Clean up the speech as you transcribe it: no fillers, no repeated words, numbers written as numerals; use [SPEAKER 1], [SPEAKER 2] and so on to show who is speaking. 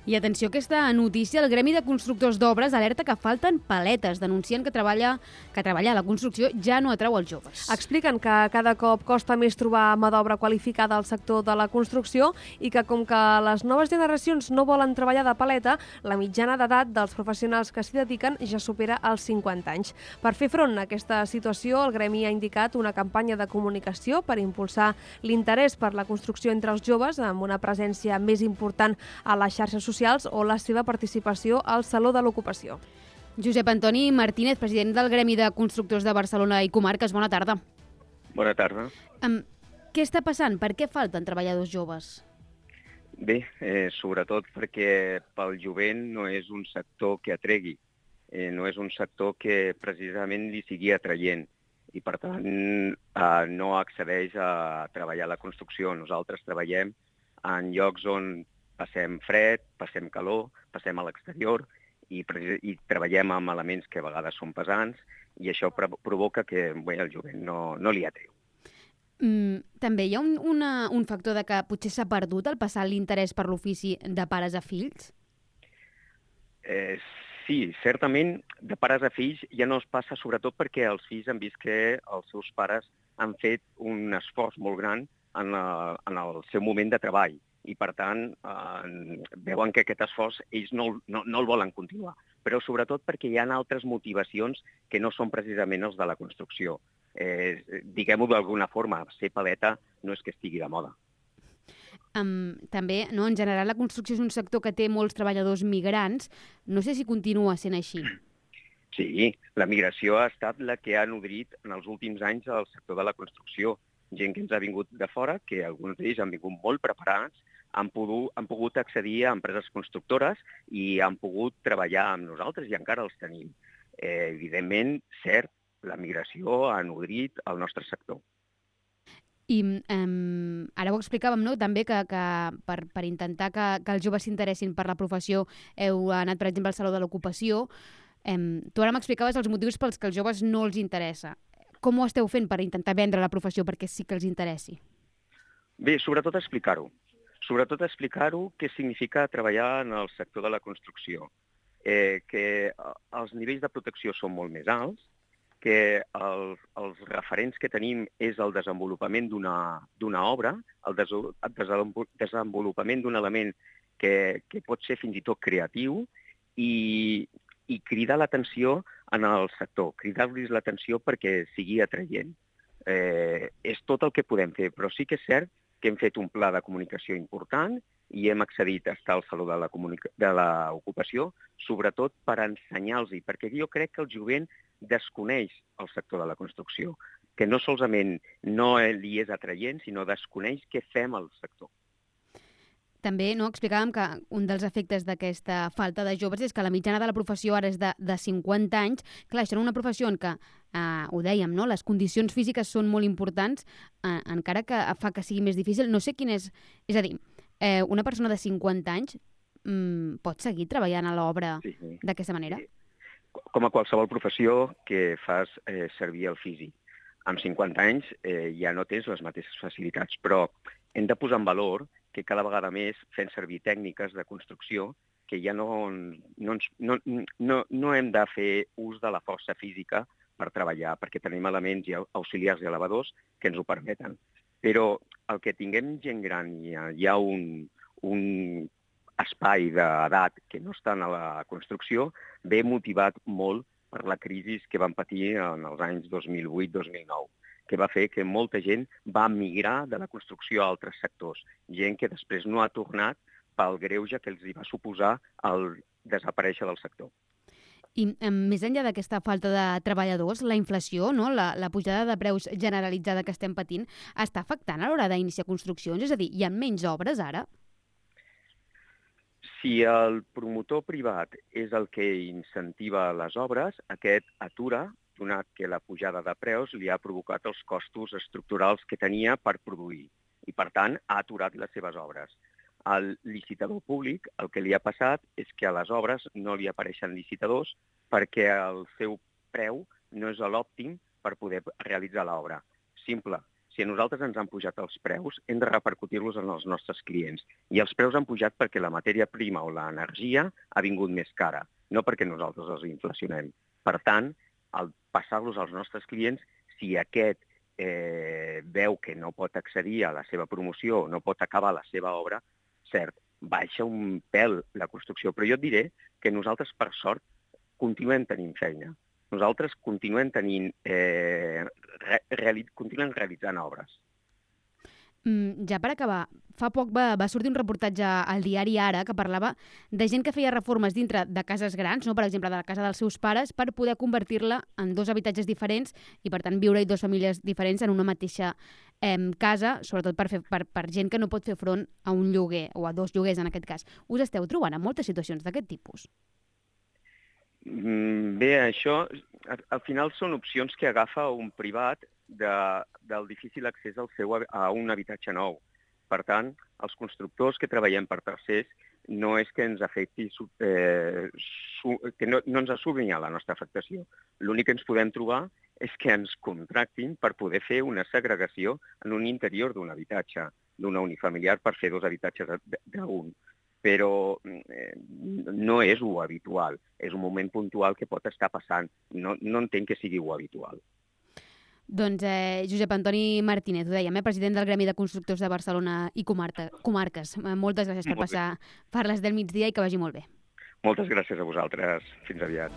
[SPEAKER 1] I atenció a aquesta notícia, el Gremi de Constructors d'Obres alerta que falten paletes, denuncien que treballar a la construcció ja no atrau els joves.
[SPEAKER 2] Expliquen que cada cop costa més trobar mà d'obra qualificada al sector de la construcció i que com que les noves generacions no volen treballar de paleta, la mitjana d'edat dels professionals que s'hi dediquen ja supera els 50 anys. Per fer front a aquesta situació, el Gremi ha indicat una campanya de comunicació per impulsar l'interès per la construcció entre els joves amb una presència més important a les xarxes socials o la seva participació al Saló de l'Ocupació.
[SPEAKER 1] Josep Antoni Martínez, president del Gremi de Constructors de Barcelona i Comarques, bona tarda.
[SPEAKER 3] Bona tarda.
[SPEAKER 1] Què està passant? Per què falten treballadors joves?
[SPEAKER 3] Bé, sobretot perquè pel jovent no és un sector que atregui, no és un sector que precisament li sigui atraient i, per tant, no accedeix a treballar a la construcció. Nosaltres treballem en llocs on passem fred, passem calor, passem a l'exterior i treballem amb elements que a vegades són pesants i això provoca que el jovent no li atreu.
[SPEAKER 1] També hi ha un factor de que potser s'ha perdut el passar l'interès per l'ofici de pares a fills?
[SPEAKER 3] Sí, certament, de pares a fills ja no es passa, sobretot perquè els fills han vist que els seus pares han fet un esforç molt gran en el seu moment de treball i, per tant, veuen que aquest esforç ells no el volen continuar. Però sobretot perquè hi ha altres motivacions que no són precisament els de la construcció. Diguem-ho d'alguna forma, ser paleta no és que estigui de moda.
[SPEAKER 1] També, no, en general, la construcció és un sector que té molts treballadors migrants. No sé si continua sent així.
[SPEAKER 3] Sí, la migració ha estat la que ha nodrit en els últims anys el sector de la construcció. Gent que ens ha vingut de fora, que alguns d'ells han vingut molt preparats, han pogut accedir a empreses constructores i han pogut treballar amb nosaltres i encara els tenim. Evidentment, cert, la migració ha nodrit el nostre sector.
[SPEAKER 1] I ara ho explicàvem, no? També que per intentar que els joves s'interessin per la professió heu anat, per exemple, al Saló de l'Ocupació. Tu ara m'explicaves els motius pels que els joves no els interessa. Com ho esteu fent per intentar vendre la professió perquè sí que els interessi?
[SPEAKER 3] Bé, sobretot explicar-ho. Sobretot explicar-ho què significa treballar en el sector de la construcció. Que els nivells de protecció són molt més alts, que els referents que tenim és el desenvolupament d'una obra, el desenvolupament d'un element que pot ser fins i tot creatiu i cridar l'atenció en el sector, cridar-los l'atenció perquè sigui atraient. És tot el que podem fer, però sí que és cert que hem fet un pla de comunicació important i hem accedit a estar al Saló de l'Ocupació, sobretot per ensenyar-los, perquè jo crec que el jovent desconeix el sector de la construcció, que no solament no li és atraient, sinó desconeix què fem al sector.
[SPEAKER 1] També explicàvem que un dels efectes d'aquesta falta de joves és que la mitjana de la professió ara és de 50 anys. Clar, això és una professió en què, ho dèiem, no? Les condicions físiques són molt importants, encara que fa que sigui més difícil. No sé quin és... És a dir, una persona de 50 anys pot seguir treballant a l'obra d'aquesta manera?
[SPEAKER 3] Com a qualsevol professió que fas servir el físic. Amb 50 anys ja no tens les mateixes facilitats, però hem de posar en valor que cada vegada més fem servir tècniques de construcció que ja no hem de fer ús de la força física per treballar, perquè tenim elements auxiliars i elevadors que ens ho permeten. Però el que tinguem gent gran i hi ha un espai d'edat que no estan a la construcció, ve motivat molt per la crisi que van patir en els anys 2008-2009. Que va fer que molta gent va migrar de la construcció a altres sectors. Gent que després no ha tornat pel greuge que els va suposar el desaparèixer del sector.
[SPEAKER 1] I més enllà d'aquesta falta de treballadors, la inflació, no? La pujada de preus generalitzada que estem patint, està afectant a l'hora d'iniciar construccions? És a dir, hi ha menys obres ara?
[SPEAKER 3] Si el promotor privat és el que incentiva les obres, aquest atura, donat que la pujada de preus li ha provocat els costos estructurals que tenia per produir i, per tant, ha aturat les seves obres. Al licitador públic el que li ha passat és que a les obres no li apareixen licitadors perquè el seu preu no és l'òptim per poder realitzar l'obra. Simple. si a nosaltres ens han pujat els preus, hem de repercutir-los en els nostres clients. I els preus han pujat perquè la matèria prima o l'energia ha vingut més cara, no perquè nosaltres els inflacionem. Per tant, al passar-los als nostres clients, si aquest veu que no pot accedir a la seva promoció, no pot acabar la seva obra, cert, baixa un pèl la construcció. Però jo et diré que nosaltres, per sort, continuem tenint feina. Nosaltres continuem realitzant obres.
[SPEAKER 1] Ja per acabar, fa poc va sortir un reportatge al diari Ara que parlava de gent que feia reformes dintre de cases grans, no? Per exemple, de la casa dels seus pares, per poder convertir-la en 2 habitatges diferents i, per tant, viure-hi 2 famílies diferents en una mateixa casa, sobretot per gent que no pot fer front a un lloguer, o a 2 lloguers en aquest cas. Us esteu trobant en moltes situacions d'aquest tipus?
[SPEAKER 3] Bé, això al final són opcions que agafa un privat del difícil accés a un habitatge nou. Per tant, els constructors que treballem per tercers no és que ens afecti, que no ens assumin a la nostra afectació. L'únic que ens podem trobar és que ens contractin per poder fer una segregació en un interior d'un habitatge, d'una unifamiliar, per fer 2 habitatges d'un. Però no és lo habitual. És un moment puntual que pot estar passant. No entenc que sigui lo habitual.
[SPEAKER 1] Doncs Josep Antoni Martínez, ho dèiem, president del Gremi de Constructors de Barcelona i Comarques. Moltes gràcies per passar per les del migdia i que vagi molt bé.
[SPEAKER 3] Moltes gràcies a vosaltres. Fins aviat.